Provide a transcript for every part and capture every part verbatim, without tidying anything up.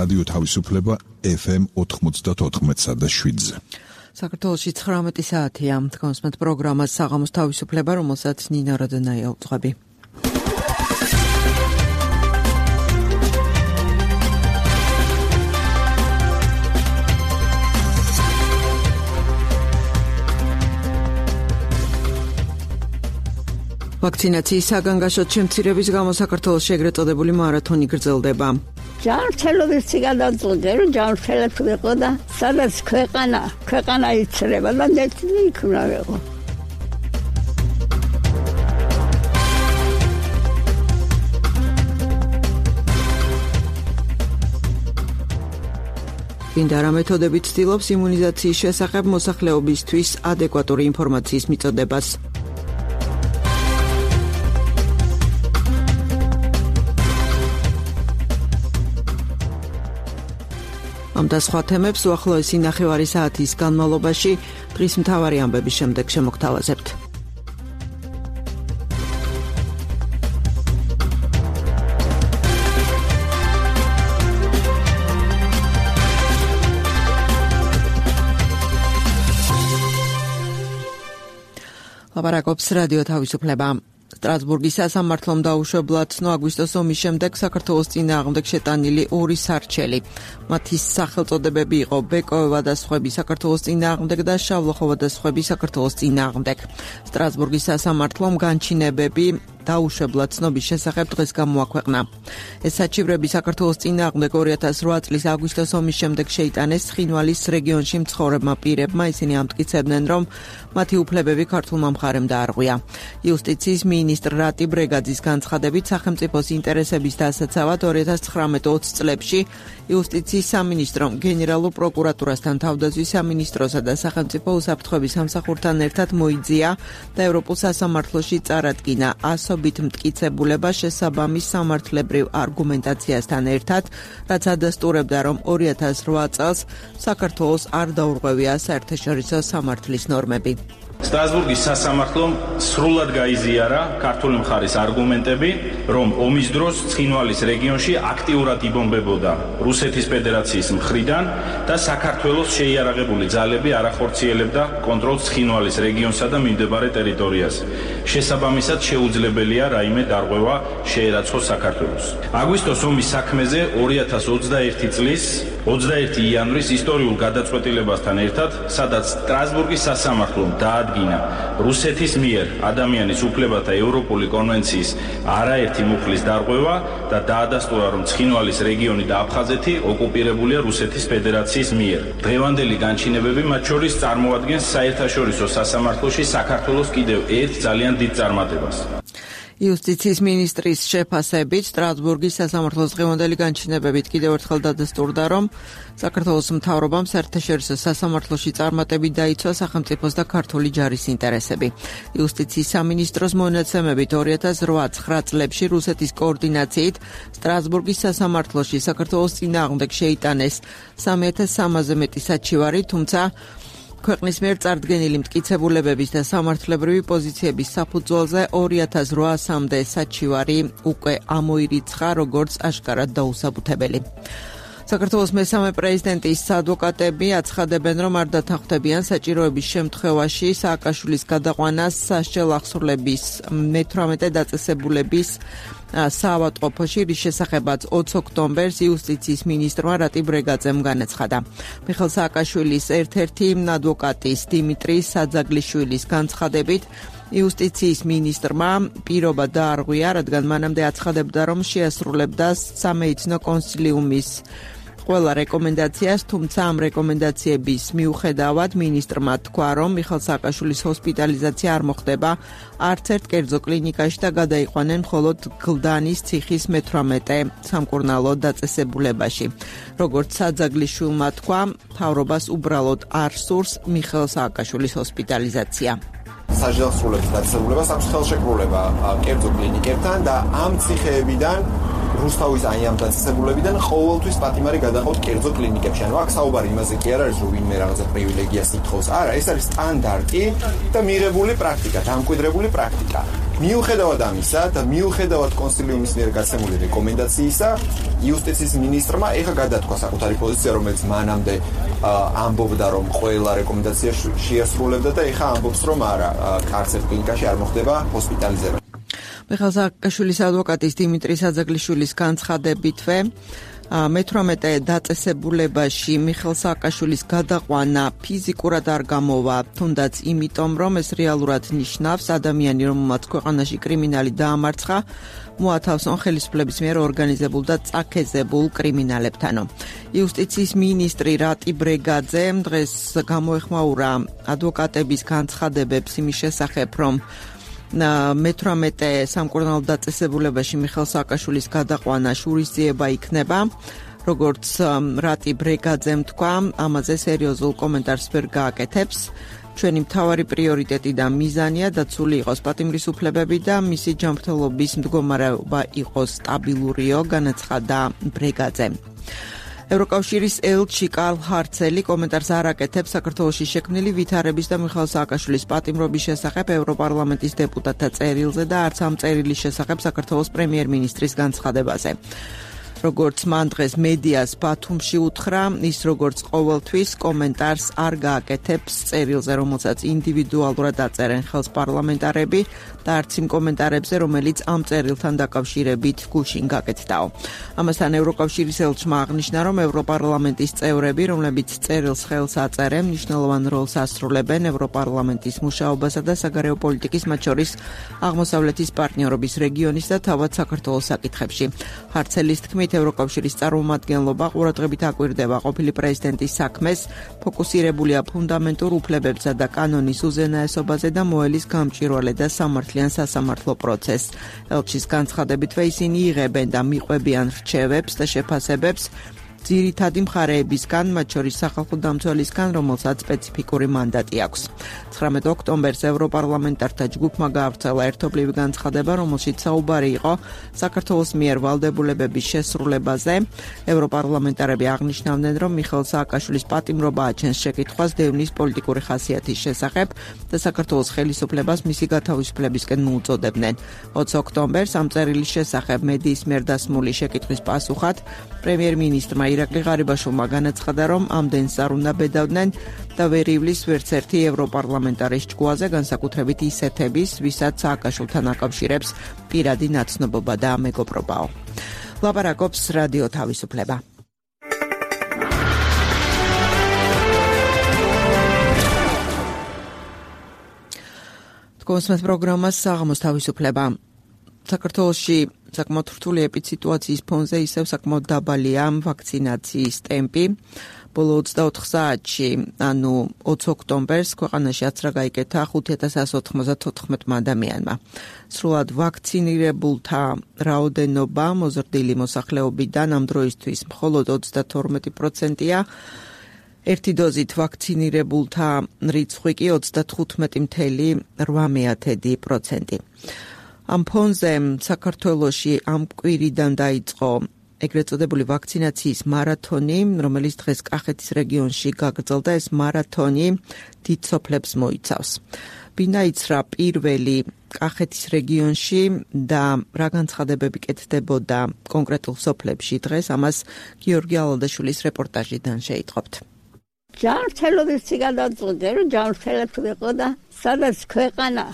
რადიო თავისუფლება ეფ ემ ოთხმოცდაოთხ და შვიდზე. საქართველოში ცხრამეტი საათია. თქვენს პროგრამას საღამოს თავისუფლება, რომელსაც ნინა როდენაია უძღვები. ვაქცინაციის საგანგაშოდ შემცირების გამო საქართველოში ეგრეთ წოდებული მარათონი გრძელდება. ჯანმრთელობის გადაწყვეტა, რომ ჯანმრთელად ვიყო და სადაც ქვეყანა, ქვეყანა იცრება და ნეტი იქ უნდა ვიყო. პინდარა მეთოდებით ცდილობს იმუნიზაციის შესახებ მოსახლეობისთვის ადეკვატური ინფორმაციის მიწოდებას. ამ და სხვა თემებს უახლოესი ნახევარი საათის განმავლობაში დღის მთავარი ამბების შემდეგ შემოგთავაზებთ. ლაპარაკობს რადიო თავისუფლება. სტრასბურგის სასამართლომ დაუშვებლად ცნო აგვისტოს ომის შემდეგ საქართველოს წინააღმდეგ შეტანილი ორი სარჩელი. მათი სახელწოდებები იყო ბეკოევა და სხვები საქართველოს წინააღმდეგ და შავლოხოვა და სხვები საქართველოს წინააღმდეგ. სტრასბურგის სასამართლომ განჩინებები დაუშვებლად ცნობის შესახებ დღეს გამოაქვეყნა. ეს საჩივრები საქართველოს წინააღმდეგ ორი ათას რვა წლის აგვისტოს ომის შემდეგ შეიტანეს ცხინვალის რეგიონში მცხოვრებმა პირებმა. ისინი ამტკიცებდნენ, რომ მათი უფლებები ქართულმა მხარემ დაარღვია. იუსტიციის მინისტრ რატი ბრეგაძის განცხადებით, სახელმწიფოს ინტერესების დასაცავად ორი ათას ცხრამეტ ოცი წლებში იუსტიციის სამინისტრომ გენერალურ პროკურატურასთან, თავდაცვის სამინისტროსა და სახელმწიფო უსაფრთხოების სამსახურთან ერთად მოიძია და ევროპულ სასამართლოში წარადგინა ასობით მტკიცებულება შესაბამის სამართლებრივ არგუმენტაციასთან ერთად, რაც ადასტურებდა, რომ ორი ათას რვა წელს საქართველოს არ დაურღვევია საერთაშორისო სამართლის ნორმები. სტრასბურგის სასამართლომ სრულად გაიზიარა ქართული მხარის არგუმენტები, რომ ომის დროს ცხინვალის რეგიონში აქტიურად იბომბებოდა რუსეთის ფედერაციის მხრიდან და საქართველოს შეიარაღებული ძალები არ ახორციელებდა კონტროლს ცხინვალის რეგიონსა და მიმდებარე ტერიტორიაზე. შესაბამისად შეუძლებელია რაიმე დარღვევა შეერაცხოს საქართველოს. აგვისტოს ომის საქმეზე ორი ათას ოცდაერთი წლის ოცდაერთი იანვრის ისტორიულ გადაწყვეტილებასთან ერთად, სადაც სტრასბურგის სასამართლომ დაადგინა რუსეთის მიერ ადამიანის უფლებათა ევროპული კონვენციის არაერთი მუხლის დარღვევა და დაადასტურა, რომ ცხინვალის რეგიონი და აფხაზეთი ოკუპირებულია რუსეთის ფედერაციის მიერ. დღევანდელი განჩინებები მათ შორის წარმოადგენს საერთაშორისო სასამართლოში საქართველოს კიდევ ერთ ძალიან დიდ წარმატებას. იუსტიციის მინისტრის შეფასებით სტრასბურგის სასამართლოს დღევანდელი განჩინებებით კიდევ ერთხელ დადასტურდა, რომ საქართველოს მთავრობამ საერთაშორისო სასამართლოში წარმატებით დაიცვა სახელმწიფოს და ქართული ჯარის ინტერესები. იუსტიციის სამინისტროს მონაცემებით ორი ათას რვა ცხრა წლებში რუსეთის კოორდინაციით სტრასბურგის სასამართლოში საქართველოს წინააღმდეგ შეიტანეს სამი ათას სამზე მეტი საჩივარი, თუმცა ქვეყნის მიერ წარდგენილი მტკიცებულებების და სამართლებრივი პოზიციების საფუძველზე ორი ათას რვასამდე საჩივარი უკვე ამოირიცხა, როგორც აშკარად დაუსაბუთებელი. საქართველოს მესამე პრეზიდენტის ადვოკატები აცხადებენ, რომ არ დათანხმდებიან საჭიროების შემთხვევაში სააკაშვილის გადაყვანას სასჯელ ახსრულების მეთვრამეტე დაწესებულების საავადმყოფოში, რის შესახებაც ოცი ოქტომბერს იუსტიციის მინისტრმა რატი ბრეგაძემ განაცხადა. მიხეილ სააკაშვილის ერთ-ერთი ადვოკატის დიმიტრი საძაგლიშვილის განცხადებით, იუსტიციის მინისტრმა პირობა დაარღვია, რადგან მანამდე აცხადებდა, რომ შეასრულებდა სამედიცინო კონსილიუმის ყველა რეკომენდაციას, თუმცა ამ რეკომენდაციების მიუხედავად მინისტრმა თქვა, რომ მიხეილ სააკაშვილის ჰოსპიტალიზაცია არ მოხდება არც ერთ კერძო კლინიკაში და გადაიყვანენ მხოლოდ გლდანის ციხის მეთვრამეტე სამკურნალო დაწესებულებაში. როგორც საძაგლიშვილმა თქვა, მთავრობას უბრალოდ არ სურს მიხეილ სააკაშვილის ჰოსპიტალიზაცია. სასჯელს სრულებს დაწესებულებას აქვს ხელშეკრულება კერძო კლინიკებთან და ამ ციხეებიდან რუსთავის აი ამ დაწესებულებიდან ყოველთვის პატიმარი გადაყავთ კერძო კლინიკებში. ანუ აქ საუბარი იმაზე კი არ არის, რომ ვინმე რაღაცა პრივილეგიას ითხოვს. არა, ეს არის სტანდარტი და მიღებული პრაქტიკა, დამკვიდრებული პრაქტიკა. მიუხედავად ამისა და მიუხედავად კონსილიუმის მიერ გაცემული რეკომენდაციისა, იუსტიციის მინისტრმა ეხა გადათქვა საკუთარი პოზიცია, რომელიც მანამდე ამბობდა, რომ ყველა რეკომენდაცია შეასრულებდა და ეხა ამბობს, რომ არა, კარცერ კლინიკაში არ მოხდება ჰოსპიტალიზება. მიხეილ სააკაშვილის ადვოკატის დიმიტრი საძაგლიშვილის განცხადებითვე მეთვრამეტე დაწესებულებაში მიხეილ სააკაშვილის გადაყვანა ფიზიკურად არ გამოვა, თუნდაც იმიტომ, რომ ეს რეალურად ნიშნავს ადამიანი, რომელმაც ქვეყანაში კრიმინალი დაამარცხა, მოათავსონ ხელისუფლების მიერ ორგანიზებულ და წაქეზებულ კრიმინალებთანო. იუსტიციის მინისტრი რატი ბრეგაძე დღეს გამოეხმაურა ადვოკატების განცხადებებს იმის შესახებ, რომ მეთვრამეტე სამკურნალო დაწესებულებაში მიხეილ სააკაშვილის გადაყვანა შურისძიება იქნება. როგორც რატი ბრეგაძემ თქვა, ამაზე სერიოზულ კომენტარს ვერ გააკეთებს. ჩვენი მთავარი პრიორიტეტი და მიზანია დაცული იყოს პატიმრის უფლებები და მისი ჯანმრთელობის მდგომარეობა იყოს სტაბილურიო, განაცხადა ბრეგაძემ. ევროკავშირის ელჩი კარლ ჰარცელი კომენტარს არ აკეთებს საქართველოში შექმნილი ვითარების და მიხეილ სააკაშვილის პატიმრობის შესახებ ევროპარლამენტის დეპუტატთა წერილზე და არც ამ წერილის შესახებ საქართველოს პრემიერ-მინისტრის განცხადებაზე. როგორც მან დღეს მედიას ბათუმში უთხრა, ის როგორც ყოველთვის კომენტარს არ გააკეთებს წერილზე, რომელსაც ინდივიდუალურად აწერენ ხელს პარლამენტარები და არც იმ კომენტარებზე, რომელიც ამ წერილთან დაკავშირებით გუშინ გაკეთდაო. ამასთან ევროკავშირის ელჩმა აღნიშნა, რომ ევროპარლამენტის წევრები, რომლებიც წერილს ხელს აწერენ, მნიშვნელოვან როლს ასრულებენ ევროპარლამენტის მუშაობასა და საგარეო პოლიტიკის, მათ შორის აღმოსავლეთის პარტნიორობის რეგიონის და თავად საქართველოს საკითხებში. ჰარცელის თქმით, ევროკავშირის წარმომადგენლობა ყურადღებით აკვირდება ყოფილი პრეზიდენტის საქმეს, ფოკუსირებულია ფუნდამენტურ უფლებებსა და კანონის უზენაესობაზე და მოელის გამჭვირვალე და სამართლიან სასამართლო პროცესს. ელჩის განცხადებითვე ისინი იღებენ და მიყვებიან რჩევებს და შეფასებებს ძირითადი მხარეებისგან, მათ შორის სახალხო დამცველისგან, რომელსაც სპეციფიკური მანდატი აქვს. ცხრამეტ ოქტომბერს ევროპარლამენტართა ჯგუფმა გაავრცელა ერთობლივი განცხადება, რომელშიც საუბარი იყო საქართველოს მიერ ვალდებულებების შესრულებაზე. ევროპარლამენტარები აღნიშნავდნენ, რომ მიხეილ სააკაშვილის პატიმრობა აჩენს შეკითხვას დევნის პოლიტიკური ხასიათის შესახებ და საქართველოს ხელისუფლებას მისი გათავისუფლებისკენ მოუწოდებდნენ. ოცი ოქტომბერს ამ წერილის შესახებ მედიის მიერ დასმული შეკითხვის პასუხად პრემიერ-მინისტრმა ირაკლი ღარიბაშვილმა განაცხადა, რომ ამდენს არ უნდა ბედავდნენ და ვერ ივლის ვერც ერთი ევროპარლამენტარის ჭკუაზე, განსაკუთრებით ისეთების, ვისაც სააკაშვილთან აკავშირებს პირადი ნაცნობობა და მეგობრობაო. ლაპარაკობს რადიო თავისუფლება. თქვენს პროგრამას საღამოს თავისუფლება. საქართველოში საკმაოდ რთული ეპიდსიტუაციის ფონზე ისევ საკმაოდ დაბალია ვაქცინაციის ტემპი. ბოლო ოცდაოთხ საათში, ანუ ოცი ოქტომბერს ქვეყანაში აცრა გაიკეთა ხუთი ათას εκατო ოცდათხმეტ ადამიანმა. სრულად ვაქცინირებულთა რაოდენობა მოზრდილი მოსახლეობიდან ამ დროისთვის მხოლოდ ოცდათორმეტი პროცენტია. ერთი დოზით ვაქცინირებულთა რიცხვი კი ოცდათხუთმეტი целых ოთხ პროცენტი. ამ ფონზე საქართველოში ამ კვირიდან დაიწყო ეგრეთ წოდებული ვაქცინაციის მარათონი, რომელიც დღეს კახეთის რეგიონში გაგრძელდა. ეს მარათონი დიდ სოფლებს მოიცავს. ბინაიცრა პირველი კახეთის რეგიონში და რა განცხადებები კეთდებოდა კონკრეტულ სოფლებში დღეს, ამას გიორგი ალადაშვილის რეპორტაჟიდან შეიტყობთ. ჯანმრთელობის ციგადაწყვეტე, რომ ჯანმრთელად ვიყო და სადაც ქვეყანა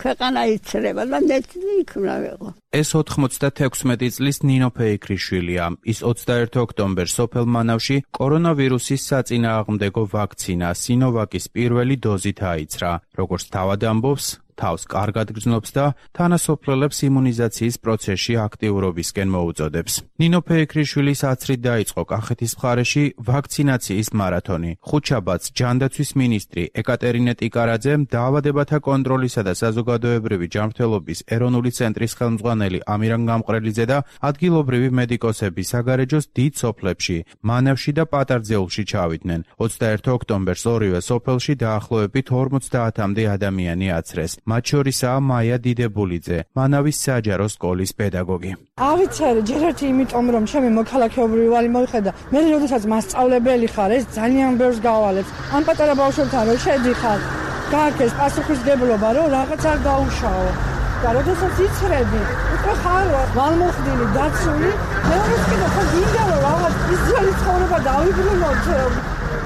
ქვეყანა იცრება და მეტი იქნა ვიყო. ეს ოთხმოცდათექვსმეტი წლის ნინო ფეიქრიშვილია. ის ოცდაერთი ოქტომბერს სოფელ მანავში კორონავირუსის საწინააღმდეგო ვაქცინა სინოვაკის პირველი დოზით აიცრა. როგორც თავად ამბობს, თავს კარგად გრძნობს და თანასოფლელებს იმუნიზაციის პროცესში აქტიურობისკენ მოუწოდებს. ნინო ფეიქრიშვილის აცრით დაიწყო კახეთის მხარეში ვაქცინაციის მარათონი. ხუთშაბათს ჯანდაცვის მინისტრი ეკატერინე ტიკარაძემ დაავადებათა კონტროლისა და საზოგადოებრივი ჯანმრთელობის ეროვნული ცენტრის ხელმძღვანელი ამირან გამყრელიძე და ადგილობრივი მედიკოსები საგარეჯოს დიდ სოფლებში, მანავში და პატარძეულში ჩავიდნენ. ოცდაერთი ოქტომბერს ორივე სოფელში დაახლოებით ორმოცდაათამდე ადამიანი აცრეს. მათ შორისაა მაია დიდებულიძე, მანავის საჯარო სკოლის პედაგოგი. ავიცარი ჯერ ერთი იმიტომ რომ ჩემი მოქალაქეობრივი ვალი მოიხედა. მე როდესაც მასწავლებელი ხარ, ეს ძალიან ბევრს გავალებს. ან პატარა ბავშვებთან რო შედიხარ, გააკეთეს პასუხისმგებლობა, რომ რაღაც არ გაუშაო. და როდესაც იცრები, უკვე ხარ ვალმოხდილი, დაცული, მეორეს კიდე ხო გინდა რომ რაღაც ის ძველი ცხოვრება დავიბრუნოთ.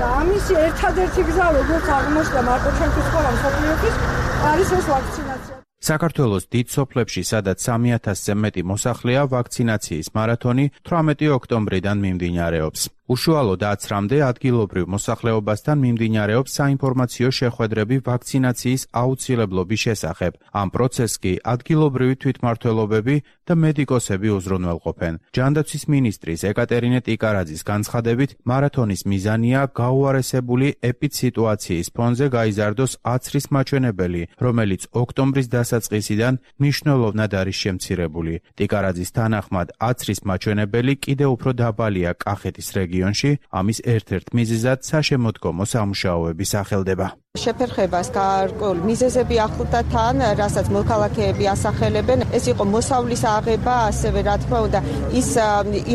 და ამის ერთადერთი გზა როგორც აღმოჩნდა მარტო ჩვენთვის ხოლმე მსოფლიოთვის არის ეს ვაქცინაცია. საქართველოს დიდ სოფლებში, სადაც სამი ათასზე მეტი მოსახლეა, ვაქცინაციის მარათონი თვრამეტი ოქტომბრიდან მიმდინარეობს. უშუალოდ ათამდე ადგილობრივ მოსახლეობასთან მიმდინარეობს საინფორმაციო შეხვედრები ვაქცინაციის აუცილებლობის შესახებ. ამ პროცესს კი ადგილობრივი თვითმმართველობები და მედიკოსები უზრუნველყოფენ. ჯანდაცვის მინისტრის ეკატერინე ტიკარაძის განცხადებით, მარათონის მიზანია გაუარესებული ეპიდსიტუაციის ფონზე გაიზარდოს აცრის მაჩვენებელი, რომელიც ოქტომბრის დასაწყისიდან მნიშვნელოვნად არის შემცირებული. ტიკარაძის თანახმად, აცრის მაჩვენებელი კიდევ უფრო დაბალია კახეთის რეგიონში. ამის ერთ-ერთ მიზეზად საშემოდგომო სამუშაოები სახელდება. შეფერხებას გარკვეული მიზეზები ახლდა თან, რასაც მოქალაქეები ასახელებენ. ეს იყო მოსავლის აღება, ასევე რა თქმა უნდა, ის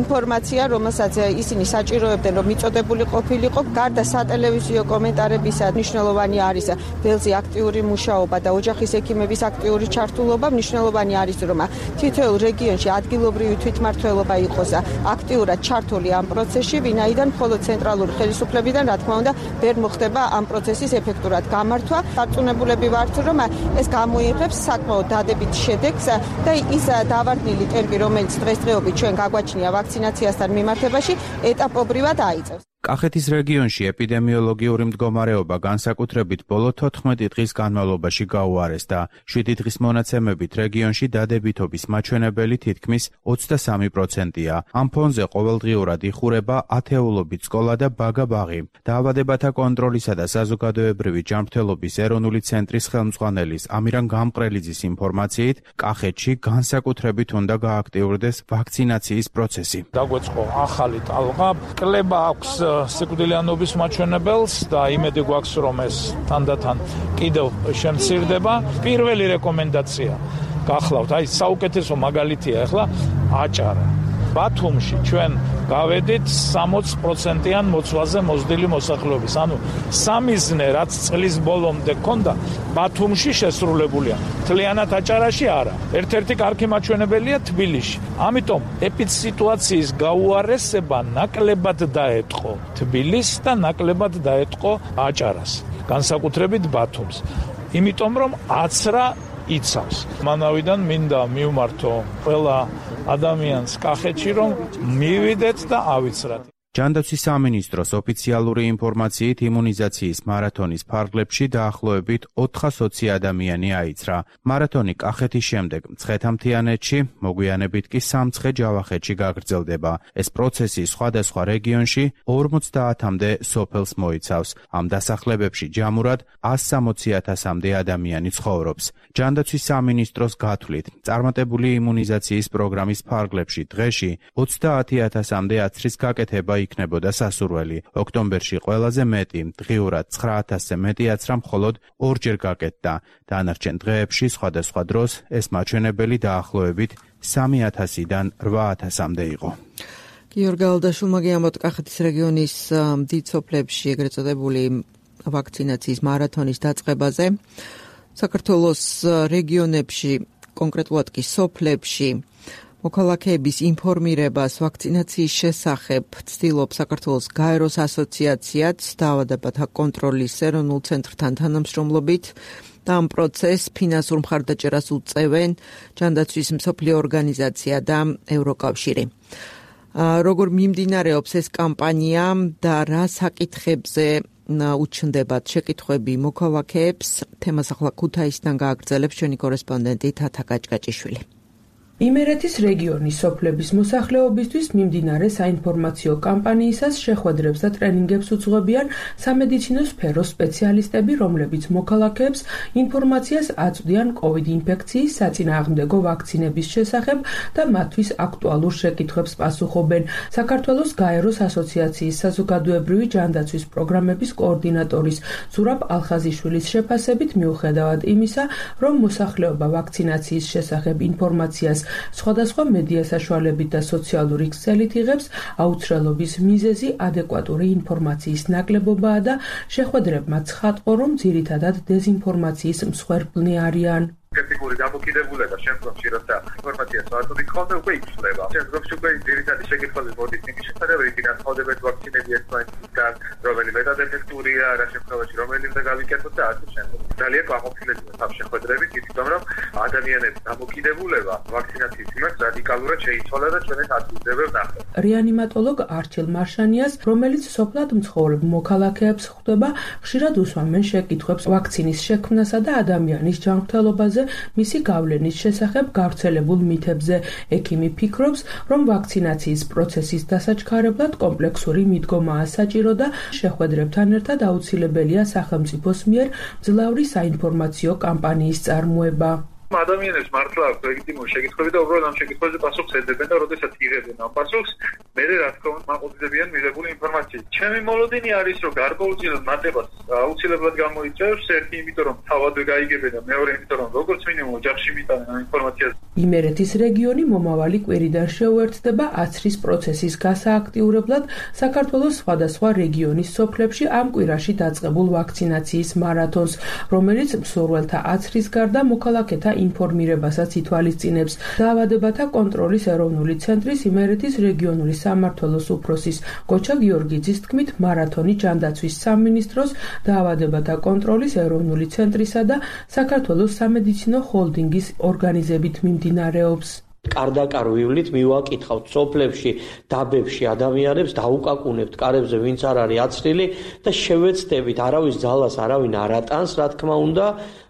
ინფორმაცია, რომელსაც ისინი საჭიროებდნენ, რომ მიწოდებული ყოფილიყო. გარდა სატელევიზიო კომენტარებისა, მნიშვნელოვანი არის ველზე აქტიური მუშაობა და ოჯახის ექიმების აქტიური ჩართულობა. მნიშვნელოვანი არის, რომ თითოეულ რეგიონში ადგილობრივი თვითმმართველობა იყოს აქტიურად ჩართული ამ პროცესში, ვინაიდან მხოლოდ ცენტრალური ხელისუფლებიდან, რა თქმა უნდა, ვერ მოხდება ამ პროცესის ეფექტური გამართვა. დარწმუნებულები ვართ, რომ ეს გამოიღებს საკმაოდ დადებით შედეგს და ის დავარდნილი ტემპი, რომელიც დღესდღეობით ჩვენ გაგვაჩნია ვაქცინაციასთან მიმართებაში, ეტაპობრივად აიწევს. კახეთის რეგიონში ეპიდემიოლოგიური მდგომარეობა განსაკუთრებით ბოლო თოთხმეტი დღის განმავლობაში გაუარესდა. შვიდი დღის მონაცემებით რეგიონში დადებითობის მაჩვენებელი თითქმის ოცდასამი პროცენტია. ამ ფონზე ყოველდღიურად იხურება ათეულობით სკოლა და ბაგა-ბაღი. დაავადებათა კონტროლისა და საზოგადოებრივი ჯანმრთელობის ეროვნული ცენტრის ხელმძღვანელის ამირან გამყრელიძის ინფორმაციით, კახეთში განსაკუთრებით უნდა გააქტიურდეს ვაქცინაციის პროცესი. დაგვეწყო ახალი ტალღა, კლება აქვს სიკვდილიანობის მაჩვენებელს და იმედი გვაქვს, რომ ეს თანდათან კიდევ შემცირდება. პირველი რეკომენდაცია გახლავთ, აი საუკეთესო მაგალითია ახლა აჭარა. ბათუმში ჩვენ გავედით სამოცი პროცენტიან მოცვაზე მოზრდილი მოსახლეობის. ანუ სამიზნე, რაც წლის ბოლომდე ქონდა, ბათუმში შესრულებულია. მთლიანად აჭარაში არა. ერთ-ერთი კარგი მაჩვენებელია თბილისში. ამიტომ ეპიდსიტუაციის გაუარესება ნაკლებად დაეტყო თბილისს და ნაკლებად დაეტყო აჭარას, განსაკუთრებით ბათუმს. იმიტომ რომ აცრა იცავს. მანავიდან მინდა მივმართო ყველა ადამიანს კახეთში, რომ მივიდეთ და ავიცრათ. ჯანდაცვის სამინისტროს ოფიციალური ინფორმაციით იმუნიზაციის მარათონის ფარგლებში დაახლოებით ოთხასოცი ადამიანი აიცრა. მარათონი კახეთის შემდეგ მცხეთა-მთიანეთში, მოგვიანებით კი სამცხე-ჯავახეთში გაგრძელდება. ეს პროცესი სხვადასხვა რეგიონში ორმოცდაათამდე სოფელს მოიცავს. ამ დასახლებებში ჯამურად ას სამოცი ათასამდე ადამიანი ცხოვრობს. ჯანდაცვის სამინისტროს გათვლით, წარმატებული იმუნიზაციის პროგრამის ფარგლებში დღეში ოცდაათი ათასამდე აცრის გაკეთება იქნებოდა სასურველი. ოქტომბერში ყველაზე მეტი, დღიურად ცხრა ათასზე მეტი აცრა მხოლოდ ორჯერ გაკეთდა. დანარჩენ დღეებში სხვადასხვა დროს ეს მაჩვენებელი დაახლოებით სამი ათასიდან რვა ათასამდე იყო. გიორგი ალდაშულმა გიამბოთ კახეთის რეგიონის დიდ სოფლებში ეგრეთ წოდებული ვაქცინაციის მარათონის დაწყებაზე. საქართველოს რეგიონებში, კონკრეტულად კი სოფლებში მოქალაქეების ინფორმირებას ვაქცინაციის შესახებ ცდილობს საქართველოს გაეროს ასოციაციაც დაავადებათა კონტროლის ეროვნულ ცენტრთან თანამშრომლობით და ამ პროცესს ფინანსურ მხარდაჭერას უწევენ ჯანდაცვის მსოფლიო ორგანიზაცია და ევროკავშირი. როგორ მიმდინარეობს ეს კამპანია და რა საკითხებზე უჩნდებათ შეკითხვები მოქალაქეებს, თემას ახლა ქუთაისიდან გააგრძელებს ჩვენი კორესპონდენტი თათა გაჭგაჭიშვილი. იმერეთის რეგიონის სოფლების მოსახლეობისთვის მიმდინარე საინფორმაციო კამპანიისას შეხვედრებს და ტრენინგებს უძღვებიან სამედიცინო სფეროს სპეციალისტები, რომლებიც მოქალაქეებს ინფორმაციას აწვდიან კოვიდ ინფექციის საწინააღმდეგო ვაქცინების შესახებ და მათთვის აქტუალურ შეკითხვებს პასუხობენ. საქართველოს გაეროს ასოციაციის საზოგადოებრივი ჯანდაცვის პროგრამების კოორდინატორის ზურაბ ალხაზიშვილის შეფასებით, მიუხედავად იმისა, რომ მოსახლეობა ვაქცინაციის შესახებ ინფორმაციას სხვადასხვა მედია საშუალებით და სოციალური ქსელით იღებს, აუცილებლობის მიზეზი ადეკვატური ინფორმაციის ნაკლებობაა და შეხვედრებმა ცხადყო, რომ ძირითადად დეზინფორმაციის მსხვერპლნი არიან. სკეპტიკური დამოკიდებულება შემდგომში, როცა ინფორმაციას ვაწვდით ხოლმე, უკვე იცვლება. შემდგომში უკვე ძირითადი შეკითხვები მოდის იმის შესახებ, რითიდან ხდებათ ვაქცინები ერთმანეთისგან, რომელი მეტად ეფექტურია, რა შემთხვევაში რომელი უნდა გავიკეთოთ და ასე შემდეგ. ძალიან კმაყოფილებია ამ შეხვედრებით, იმიტომ რომ ადამიანების დამოკიდებულება ვაქცინაციის მიმართ რადიკალურად შეიცვალა და ჩვენს ადგილზე ვნახეთ. რეანიმატოლოგ არჩილ მარშანიას, რომელიც სოფლად მცხოვრებ მოქალაქეებს ხვდება, ხშირად უსვამენ შეკითხვებს ვაქცინის შექმნასა და ადამიანის ჯანმრთელობაზე, მისი გავლენის შესახებ გავრცელებულ მითებზე. ექიმი ფიქრობს, რომ ვაქცინაციის პროცესის დასაჩქარებლად კომპლექსური მიდგომაა საჭირო და შეხვედრებთან ერთად აუცილებელია სახელმწიფოს მიერ მძლავრი საინფორმაციო კამპანიის წარმოება. ადამიანებს მართლა აქვს ლეგიტიმური შეკითხვები და უბრალოდ ამ შეკითხვებზე პასუხს ეძებენ და როდესაც იღებენ ამ პასუხს, მერე რა თქმა უნდა მაყურებლებიან მიღებული ინფორმაციით. ჩემი მოლოდინი არის, რომ გარკვეულწილად მატებას აუცილებლად გამოიწევს, ერთი იმიტომ რომ თავადვე გაიგებენ და მეორე იმიტომ რომ როგორც მინიმუმ ოჯახში მიტანენ ამ ინფორმაციას. იმერეთის რეგიონი მომავალი კვირიდან შეუერთდება აცრის პროცესის გასააქტიურებლად საქართველოს სხვადასხვა რეგიონის სოფლებში ამ კვირაში დაწყებულ ვაქცინაციის მარათონს, რომელიც მსურველთა აცრის გარდა მოქალაქეთა ინფორმირებასაც ითვალისწინებს. დაავადებათა კონტროლის ეროვნული ცენტრის იმერეთის რეგიონული სამმართველოს უფროსის გოჩა გიორგიძის თქმით, მარათონი ჯანდაცვის სამინისტროს, დაავადებათა კონტროლის ეროვნული ცენტრისა და საქართველოს სამედიცინო ჰოლდინგის ორგანიზებით მიმდინარეობს. კარდაკარ ვივლით მივაკითხავთ სოფლებში, დაბებში ადამიანებს, დაუკაკუნებთ კარებზე, ვინც არ არის აცრილი და შევეცდებით, არავის ძალას არავინ არ ატანს, რა თქმა უნდა,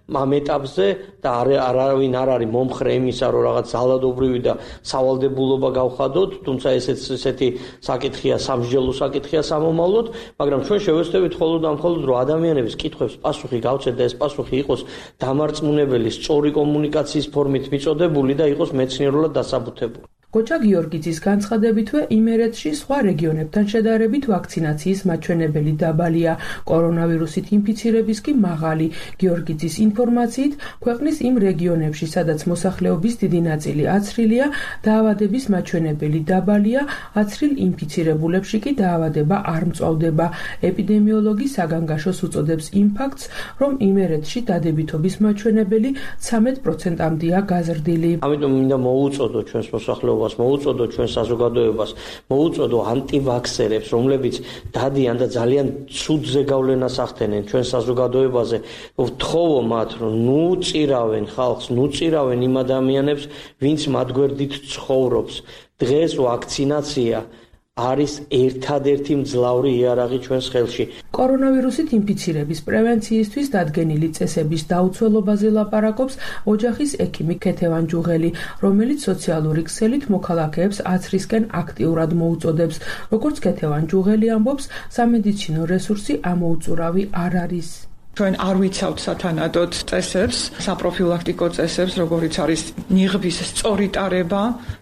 ამ ეტაპზე და არავინ არ არის მომხრე იმისა, რომ რაღაც ძალადობრივი და სავალდებულობა გავხადოთ, თუმცა ესეც ესეთი საკითხია, სამსჯელო საკითხია სამომავლოდ, მაგრამ ჩვენ შევეცდებით მხოლოდ და მხოლოდ რომ ადამიანების კითხვებს პასუხი გავცეთ და ეს პასუხი იყოს დამარწმუნებელი, სწორი კომუნიკაციის ფორმით მიწოდებული და იყოს მეცნიერულად დასაბუთებული. გოჩა გიორგიძის განცხადებითვე იმერეთში სხვა რეგიონებთან შედარებით ვაქცინაციის მაჩვენებელი დაბალია, კორონავირუსით ინფიცირების კი მაღალი. გიორგიძის ინფორმაციით, ქვეყნის იმ რეგიონებში, სადაც მოსახლეობის დიდი ნაწილი აცრილია, დაავადების მაჩვენებელი დაბალია, აცრილ ინფიცირებულებში კი დაავადება არ მწვავდება. ეპიდემიოლოგი საგანგაშოს უწოდებს იმ ფაქტს, რომ იმერეთში დადებითობის მაჩვენებელი ცამეტ პროცენტამდეა გაზრდილი. ამიტომ მინდა მოუწოდო ჩვენს მოსახლეობას, მოუწოდო ჩვენ საზოგადოებას, მოუწოდო ანტივაქსერებს, რომლებიც დადიან და ძალიან ცუდ ზეგავლენას ახდენენ ჩვენ საზოგადოებაზე, ვთხოვო მათ, რომ ნუ წირავენ ხალხს, ნუ წირავენ იმ ადამიანებს, ვინც მათ გვერდით ცხოვრობს. დღეს ვაქცინაცია არის ერთადერთი მძლავრი იარაღი ჩვენს ხელში. კორონავირუსით ინფიცირების პრევენციისთვის დადგენილი წესების დაუცველობაზე ლაპარაკობს ოჯახის ექიმი ქეთევან ჯუღელი, რომელიც სოციალური ქსელით მოქალაქეებს აცრისკენ აქტიურად მოუწოდებს. როგორც ქეთევან ჯუღელი ამბობს, სამედიცინო რესურსი ამოუწურავი არ არის. ჩვენ არ ვიცავთ სათანადოდ წესებს, საპროფილაქტიკო წესებს, როგორიც არის ნიღბის სწორი ტარება,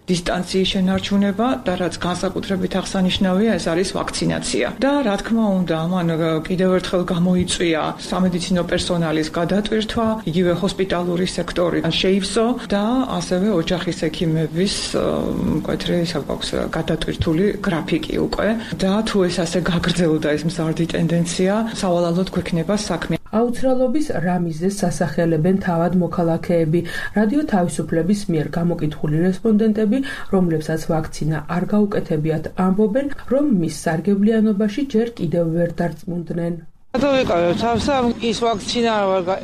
დისტანციის შენარჩუნება და რაც განსაკუთრებით აღსანიშნავია, ეს არის ვაქცინაცია. და რა თქმა უნდა, ამან კიდევ ერთხელ გამოიწვია სამედიცინო პერსონალის გადატვირთვა, იგივე ჰოსპიტალური სექტორი შეივსო და ასევე ოჯახის ექიმების მკვეთრი საკვაქვს გადატვირთული გრაფიკი უკვე. და თუ ეს ასე გაგრძელდა ეს მზარდი ტენდენცია, სავალალოდ გვექნება საქმე. აუცილებლობის რა მიზეზს სასახელებენ თავად მოქალაქეები. რადიო თავისუფლების მიერ გამოკითხული რესპონდენტები, რომლებსაც ვაქცინა არ გაუკეთებიათ, ამბობენ, რომ მის სარგებლიანობაში ჯერ კიდევ ვერ დარწმუნდნენ. დავიკავებ თავსა ის ვაქცინა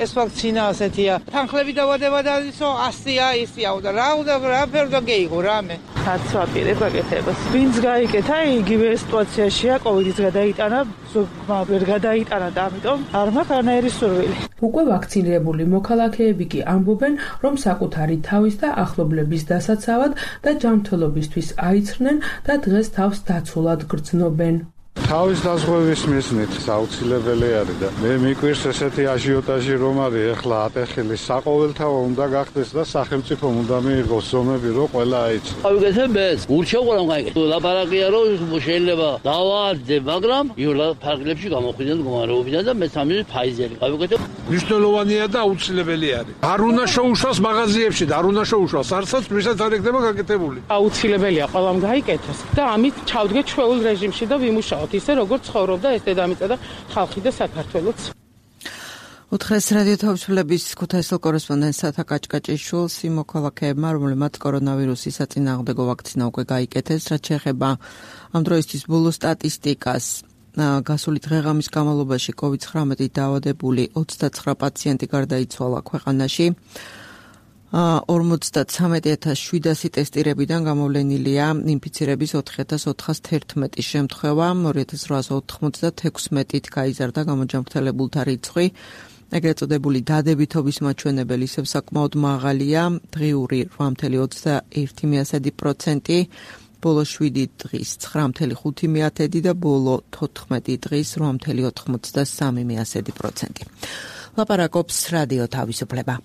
ეს ვაქცინა ასეთია თანხლები დავადება და ისო ასია ისია და რა უნდა რა ფერდა გეიგო რამე არც ვაპირებ გაკეთებას. ვინც გაიკეთა, იგივე სიტუაციაშია, კოვიდის გადაიტანა, ზოგმა ვერ გადაიტანა და ამიტომ არ მაქვს არანაირი სურვილი. უკვე ვაქცინირებული მოქალაქეები კი ამბობენ, რომ საკუთარი თავის და ახლობლების დასაცავად და ჯანმრთელობისთვის აიცრნენ და დღეს თავს დაცულად გრძნობენ. თავის დაზღვევის მიზნით აუცილებელი არის და მე მიკვირს ესეთი აჟიოტაჟი რომ არის ახლა ატეხილი საყოველთაო უნდა გახდეს და სახელმწიფომ უნდა მიიღოს ზომები რომ ყველა აიცნოს. გავიგეთ ეს ურჩეუყურამ გაიგეთ. ლაპარაკია რომ შეიძლება დავაარდე, მაგრამ იულა ფარგლებში გამოხვიდენ მდგომარეობიდან და მესამე ფაიზერი. გავიგეთ. მნიშვნელოვანია და აუცილებელი არის. არ უნდა შეუშვას მაღაზიებში და არ უნდა შეუშვას არცაც ვისაც არ იქნება გაკეთებული. აუცილებელია ყველამ გაიკეთოს და ამით ჩავდგეთ ჩვეულ რეჟიმში და ვიმუშაოთ ისე როგორც ცხოვრობდა ეს დედამიწა და ხალხი და საქართველოც. უთხრეს რადიო თავისუფლების ქუთაისელ კორესპონდენტ სათა კაჭკაჭიშვილს იმ მოქალაქეებმა, რომლებმაც კორონავირუსის საწინააღმდეგო ვაქცინა უკვე გაიკეთეს, რაც შეეხება ამ დროისთვის ბოლო სტატისტიკას. გასული დღეღამის განმავლობაში კოვიდ ცხრამეტით დაავადებული ოცდაცხრა პაციენტი გარდაიცვალა ქვეყანაში. ორმოცდათრამეტი ათას შვიდასი ტესტირებიდან გამოვლენილია ინფიცირების ოთხი ათას ოთხას თერთმეტი შემთხვევა, ორი ათას რვაას ოთხმოცდათექვსმეტით გაიზარდა გამოჯანმრთელებულთა რიცხვი. ეგრეთ წოდებული დადებითობის მაჩვენებელი ისევ საკმაოდ მაღალია, დღიური რვა ათას ოცდაერთი პროცენტი, ბოლო შვიდი დღის ცხრა ათას ხუთი და ბოლო თოთხმეტი დღის რვა ათას ოცდასამი პროცენტი. ლაპარაკობს რადიო თავისუფლება.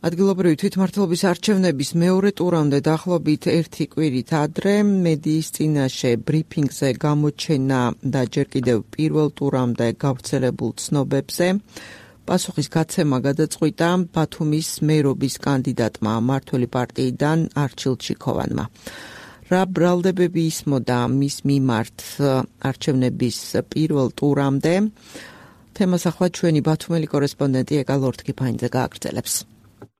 ადგილობრივი თვითმმართველობის არჩევნების მეორე ტურამდე დაახლოებით ერთი კვირით ადრე მედიის წინაშე ბრიფინგზე გამოჩენა და ჯერ კიდევ პირველ ტურამდე გავრცელებულ ცნობებზე პასუხის გაცემა გადაწყვიტა ბათუმის მერობის კანდიდატმა მმართველი პარტიიდან არჩილ ჩიქოვანმა. რა ბრალდებები ისმოდა მის მიმართ არჩევნების პირველ ტურამდე? თემას ახლა ჩვენი ბათუმელი კორესპონდენტი ეკა ლორთქიფაინძე გააგრძელებს.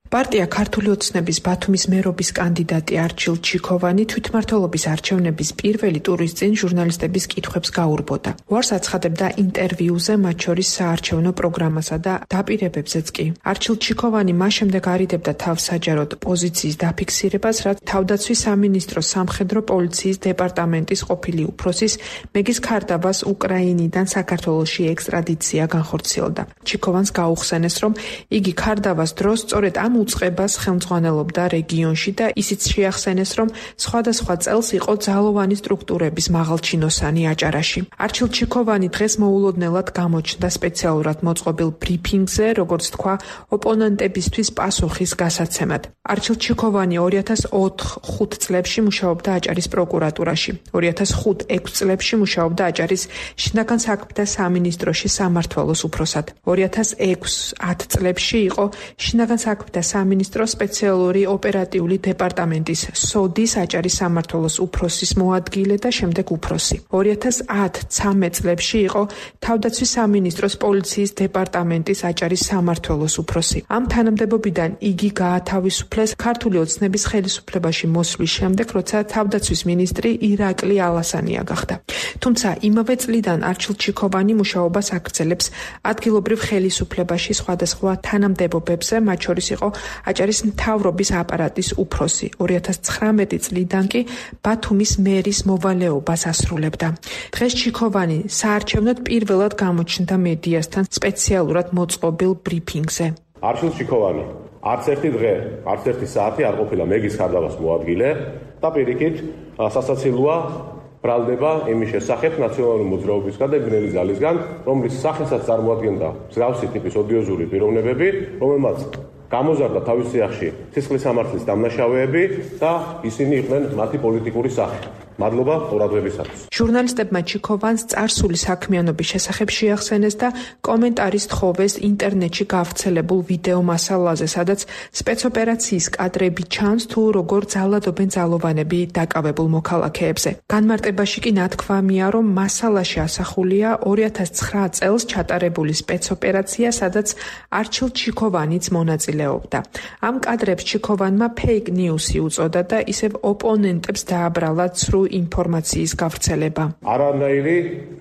პარტია ქართული ოცნების ბათუმის მერობის კანდიდატი არჩილ ჩიქოვანი თვითმმართველობის არჩევნების პირველი ტურის წინ ჟურნალისტების კითხვებს გაურბოდა. უარს აცხადებდა ინტერვიუზე, მათ შორის საარჩევნო პროგრამასა და დაპირებებზეც კი. არჩილ ჩიქოვანი მას შემდეგ არიდებდა თავს საჯაროდ პოზიციის დაფიქსირებას, რაც თავდაცვის სამინისტროს სამხედრო პოლიციის დეპარტამენტის ყოფილი უფროსის მეგის ქარდაბას უკრაინიდან საქართველოში ექსტრადიცია განხორციელდა. ჩიქოვანს გაუხსენეს, რომ იგი ქარდაბას დროს სწორედ ამ უწყებას ხელმძღვანელობდა რეგიონში და ისიც შეახსენეს, რომ სხვადასხვა წელს იყო ძალოვანი სტრუქტურების მაღალჩინოსანი აჭარაში. არჩილ ჩიქოვანი დღეს მოულოდნელად გამოჩნდა სპეციალურად მოწყობილ ბრიფინგზე, როგორც თქვა, ოპონენტებისთვის პასუხის გასაცემად. არჩილ ჩიქოვანი ორი ათას ოთხ ხუთ წლებში მუშაობდა აჭარის პროკურატურაში. ორი ათას ხუთ ექვს წლებში მუშაობდა აჭარის შინაგან საქმეთა სამინისტროში სამმართველოს უფროსად. ორი ათას ექვს ათ წლებში იყო შინაგან საქმეთა სამინისტროს სპეციალური ოპერატიული დეპარტამენტის სოდის აჭარის სამმართველოს უფროსის მოადგილე და შემდეგ უფროსი. ორი ათას ათ ცამეტ წლებში იყო თავდაცვის სამინისტროს პოლიციის დეპარტამენტის აჭარის სამმართველოს უფროსი. ამ თანამდებობიდან იგი გაათავისუფლეს ქართული ოცნების ხელისუფლებაში მოსვლის შემდეგ, როცა თავდაცვის მინისტრი ირაკლი ალასანია გახდა. თუმცა იმავე წლიდან არჩილ ჩიქოვანი მუშაობას აგრძელებს ადგილობრივ ხელისუფლებაში სხვადასხვა თანამდებობებზე, მათ შორის იყო აჭარის მთავრობის აპარატის უფროსი. ორი ათას ცხრამეტი წლიდან კი ბათუმის მერის მოვალეობას ასრულებდა. დღეს ჩიქოვანი საარჩევნოდ პირველად გამოჩნდა მედიასთან სპეციალურად მოწყობილ ბრიფინგზე. არჩილ ჩიქოვანი არც ერთი დღე, არც ერთი საათი არ ყოფილა მეგის ქარდაბას მოადგილე და პირიქით სასაცილოა ბრალდება იმის შესახებ ნაციონალური მოძრაობისგან და ბნელი ძალისგან, რომლის სახელსაც წარმოადგენდა მსგავსი ტიპის ოდიოზური პიროვნებები, რომელმაც გამოზარდა თავის სიახში სისხლის სამართლის დამნაშავეები და ისინი იყვნენ მათი პოლიტიკური სახე. მადლობა ყურადღებისათვის. ჟურნალისტებმა ჩიქოვანს წარსული საქმიანობის შესახებ შეახსენეს და კომენტარის თხოვეს ინტერნეტში გავრცელებულ ვიდეო მასალაზე, სადაც სპეცოპერაციის კადრები ჩანს თუ როგორ ძალადობენ ძალოვანები დაკავებულ მოქალაქეებზე. განმარტებაში კი ნათქვამია, რომ მასალაში ასახულია ორი ათას ცხრა წელს ჩატარებული სპეცოპერაცია, სადაც არჩილ ჩიქოვანიც მონაწილეობდა. ამ კადრებს ჩიქოვანმა ფეიქ ნიუსი უწოდა და ისევ ოპონენტებს დააბრალა ცრუ ინფორმაციის გავრცელება. არანაირი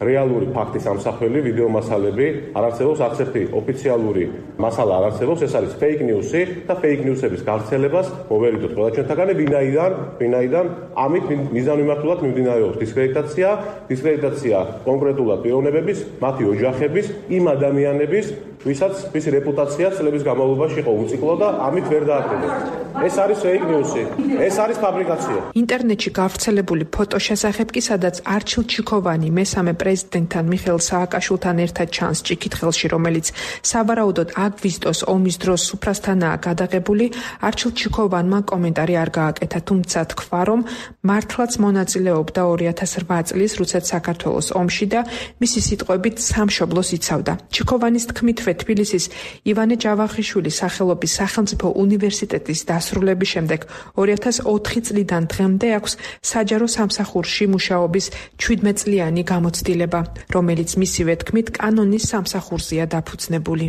რეალური ფაქტის ამსახველი ვიდეო მასალები არ არსებობს, არც ერთი ოფიციალური მასალა არ არსებობს, ეს არის fake news-ი და fake news-ების გავრცელებას მოვერიდოთ ყველა ჩვენთაგანი, ვინაიდან, ვინაიდან ამით მიზანმიმართულად მიმდინარეობს დისკრედიტაცია, დისკრედიტაცია კონკრეტულად პიროვნებების, მათი ოჯახების, იმ ადამიანების, ვისაც მისი რეპუტაცია წლების განმავლობაში იყო უციკლო და ამით ვერ დააკრიბეს. ეს არის fake news-ი, ეს არის ფაბრიკაცია. ინტერნეტში გავრცელებული ფოტო შესახებ კი, სადაც არჩილ ჩიქოვანი მესამე პრეზიდენტთან მიხეილ სააკაშვილთან ერთად ჩანს ჭიქითხელში, რომელიც სავარაუდოდ აგვისტოს ომის დროს სუფრასთანაა გადაღებული, არჩილ ჩიქოვანმა კომენტარი არ გააკეთა, თუმცა თქვა, რომ მართლაც მონაწილეობდა ორი ათას რვა წლის რუსეთ საქართველოს ომში და მისი სიტყვებით სამშობლოს იცავდა. ჩიქოვანის თქმითვე თბილისის ივანე ჯავახიშვილის სახელობის სახელმწიფო უნივერსიტეტის დასრულების შემდეგ ორი ათას ოთხი წლიდან დღემდე აქვს საჯარო სამსახურში მუშაობის ჩვიდმეტწლიანი გამოცდილება, რომელიც მისივე თქმით კანონის სამსახურზეა დაფუძნებული.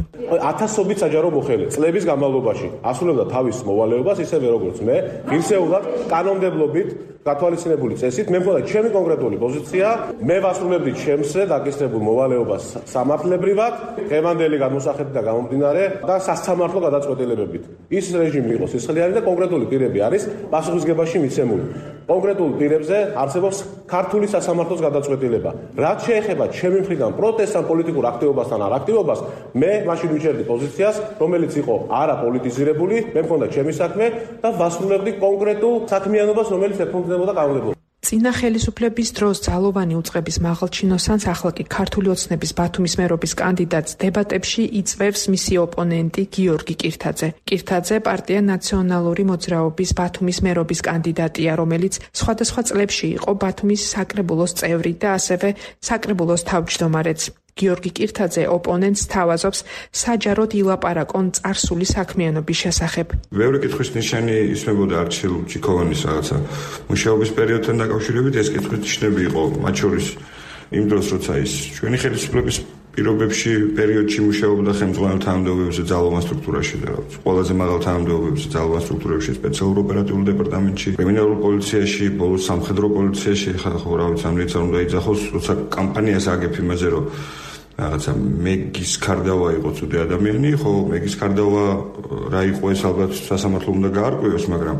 ათასობით საჯარო მოხელე წლების განმავლობაში ასრულებდა თავის მოვალეობას, ისევე როგორც მე, ღირსეულად კანონმდებლობით გათვალისწინებული წესით. მე მგონია ჩემი კონკრეტული პოზიცია, მე ვასრულებდი ჩემსე დაკისრებულ მოვალეობას სამართლებრივად, ღემანდელი გადმოსახედით და გამომდინარე და სასამართლო გადაწყვეტილებებით. ის რეჟიმი იყო სისხლიანი და კონკრეტული პირები არის პასუხისგებაში მიცემული. კონკრეტულ პირებზე არსებობს ქართული სასამართლოს გადაწყვეტილება. რაც შეეხება ჩემი მხრიდან პროტესტ ან პოლიტიკურ აქტივობასთან არ აქტივობას, მე მაშინ ვიჩერდი პოზიციას, რომელიც იყო არაპოლიტიზირებული, მე მქონდა ჩემი საქმე და ვასრულებდი კონკრეტულ საქმიანობას, რომელიც ეფუძნებოდა კანონმდებლობას. წინა ხელისუფლების დროს ძალოვანი უწყების მაღალჩინოსანს, ახლა კი ქართული ოცნების ბათუმის მერობის კანდიდატს დებატებში იწვევს მისი ოპონენტი გიორგი კირთაძე. კირთაძე პარტია ნაციონალური მოძრაობის ბათუმის მერობის კანდიდატია, რომელიც სხვადასხვა წლებში იყო ბათუმის საკრებულოს წევრი და ასევე საკრებულოს თავმჯდომარეც. გიორგი კირთაძე ოპონენტს თავაზობს საჯაროდ ილაპარაკონ წარსული საქმიანობის შესახებ. ბევრი კითხვის ნიშანი ისმებოდა არჩილ ჩიქოვანის რაღაცა მუშაობის პერიოდთან დაკავშირებით, ეს კითხვის ნიშნები იყო, მათ შორის იმ დროს, როცა ის ჩვენი ხელისუფლების პირობებში პერიოდში მუშაობდა ხელმძღვანელ თანამდებობებზე ძალოვან სტრუქტურაში და რაღაც ყველაზე მაღალ თანამდებობებზე ძალოვან სტრუქტურებში, სპეციალურ ოპერატიულ დეპარტამენტში, კრიმინალურ პოლიციაში, ბოლოს სამხედრო პოლიციაში, ხო რა ვიცი, ამით არ უნდა იძახოს, როცა კამპანიას აგებ იმაზე, რომ რაღაცა მეგის კარდავა იყო ცუდი ადამიანი, ხო, მეგის კარდავა რა იყო, ეს ალბათ სასამართლო უნდა გაარკვევოს, მაგრამ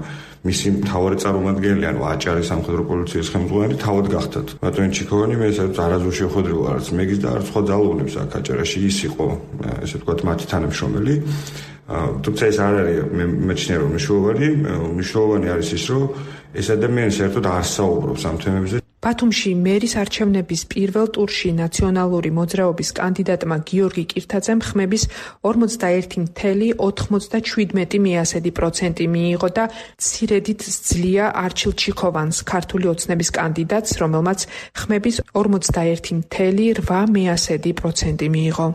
მისი მთავარი წარმომადგენელი, ანუ აჭარის სამხედრო პოლიციის ხელმძღვანელი თავად გახდათ. ბატონი ჩიქოვანი მე სადაც არაზუსტ შეხვედრილ არც მეგის და არც სხვა ძალოვნებს აქ აჭარაში, ის იყო, ესე ვთქვათ, მათი თანამშრომელი. თუმცა ეს არ არის მე მეჩნია რომ მნიშვნელოვანი, მნიშვნელოვანი არის ის, რომ ეს ადამიანი საერთოდ არ საუბრობს ამ თემებზე. ბათუმში მერის არჩევნების პირველ ტურში ნაციონალური მოძრაობის კანდიდატმა გიორგი კირთაძემ ხმების ორმოცდაერთი წუთი ოთხმოცდაშვიდმეტი პროცენტი მიიღო და მცირედით სძლია არჩილ ჩიქოვანს, ქართული ოცნების კანდიდატს, რომელმაც ხმების ორმოცდაერთი წუთი რვა პროცენტი მიიღო.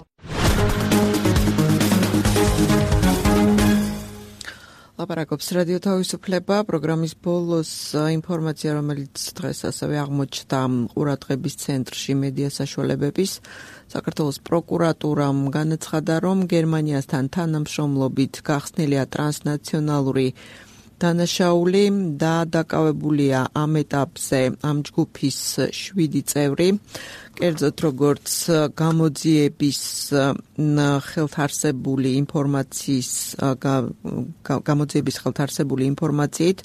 ლაპარაკობს რადიო თავისუფლება, პროგრამის ბოლოს ინფორმაცია, რომელიც დღეს ასევე აღმოჩნდა ყურადღების ცენტრში მედია საშუალებების. საქართველოს პროკურატურამ განაცხადა, რომ გერმანიასთან თანამშრომლობით გახსნილია ტრანსნაციონალური დანაშაული და დაკავებულია ამ ეტაპზე ამ ჯგუფის შვიდი წევრი. კერძოდ როგორც გამოძიების ხელთარსებული ინფორმაციის გამოძიების ხელთარსებული ინფორმაციით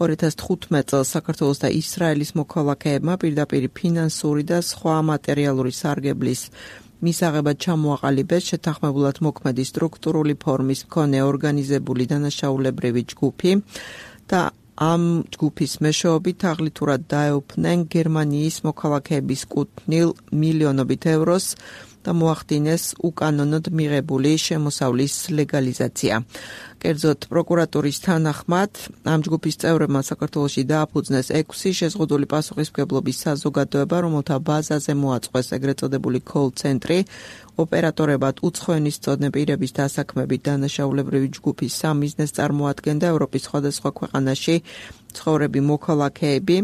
ორი ათას თხუთმეტ წელს საქართველოს და ისრაელის მოქალაქეებმა პირდაპირ ფინანსური და სხვა მატერიალური სარგებლის მისაღებად ჩამოაყალიბეს შეთანხმებულად მოქმედი სტრუქტურული ფორმის მქონე ორგანიზებული დანაშაულებრივი ჯგუფი და ამ ჯგუფის მეშვეობით აღლითურად დაეუფნენ გერმანიის მოქალაქეების კუთვნილ მილიონობით ევროს და მოახდინეს უკანონოდ მიღებული შემოსავლის ლეგალიზაცია. კერძოდ პროკურატურის თანახმად ამ ჯგუფის წევრებმა საქართველოში დააფუძნეს ექვსი შეზღუდული პასუხისმგებლობის საზოგადოება, რომელთა ბაზაზე მოაწყვეს ეგრეთ წოდებული კოლ-ცენტრი, ოპერატორებად უცხოენის მცოდნე პირების დასაქმებით დანაშაულებრივი ჯგუფის სამიზნეს წარმოადგენდა ევროპის სხვადასხვა ქვეყანაში ცხოვრები მოქალაქეები.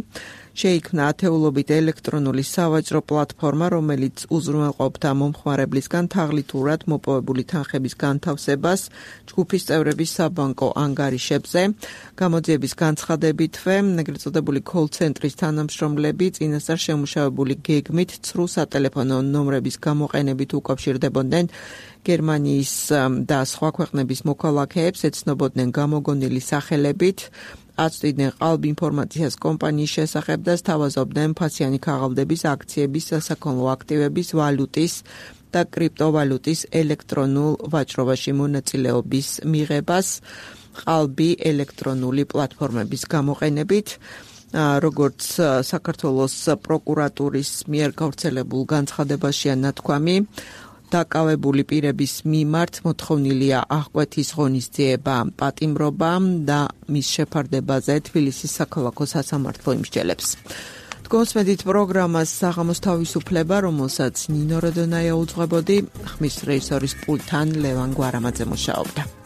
შეიქმნა ათეულობით ელექტრონული სავაჭრო პლატფორმა, რომელიც უზრუნველყოფდა მომხმარებლისგან თაღლითურად მოპოვებული თანხების განთავსებას ჯგუფის წევრების საბანკო ანგარიშებზე. გამოძიების განცხადებითვე, ეგრეთ წოდებული call-ცენტრის თანამშრომლები წინასწარ შემუშავებული გეგმით ცრუ სატელეფონო ნომრების გამოყენებით უკავშირდებოდნენ გერმანიის და სხვა ქვეყნების მოქალაქეებს, ეცნობოდნენ გამოგონილი სახელებით, აწვდიდნენ ყალბ ინფორმაციას კომპანიის შესახებ და სთავაზობდნენ ფასიანი ქაღალდების, აქციების, სასაქონლო აქტივების, ვალუტის და კრიპტოვალუტის ელექტრონულ ვაჭრობაში მონაწილეობის მიღებას ყალბი ელექტრონული პლატფორმების გამოყენებით. როგორც საქართველოს პროკურატურის მიერ გავრცელებულ განცხადებაშია ნათქვამი, დაკავებული პირების მიმართ მოთხოვნილია აღკვეთის ღონისძიება პატიმრობა და მის შეფარდებაზე თბილისის საქალაქო სასამართლო იმსჯელებს. დგომსმედით პროგრამას საღამოს თავისუფლება, რომელსაც ნინო როდონაია უძღვებოდი, ხმის რეჟისორის პულტთან ლევან გვარამაძე მუშაობდა.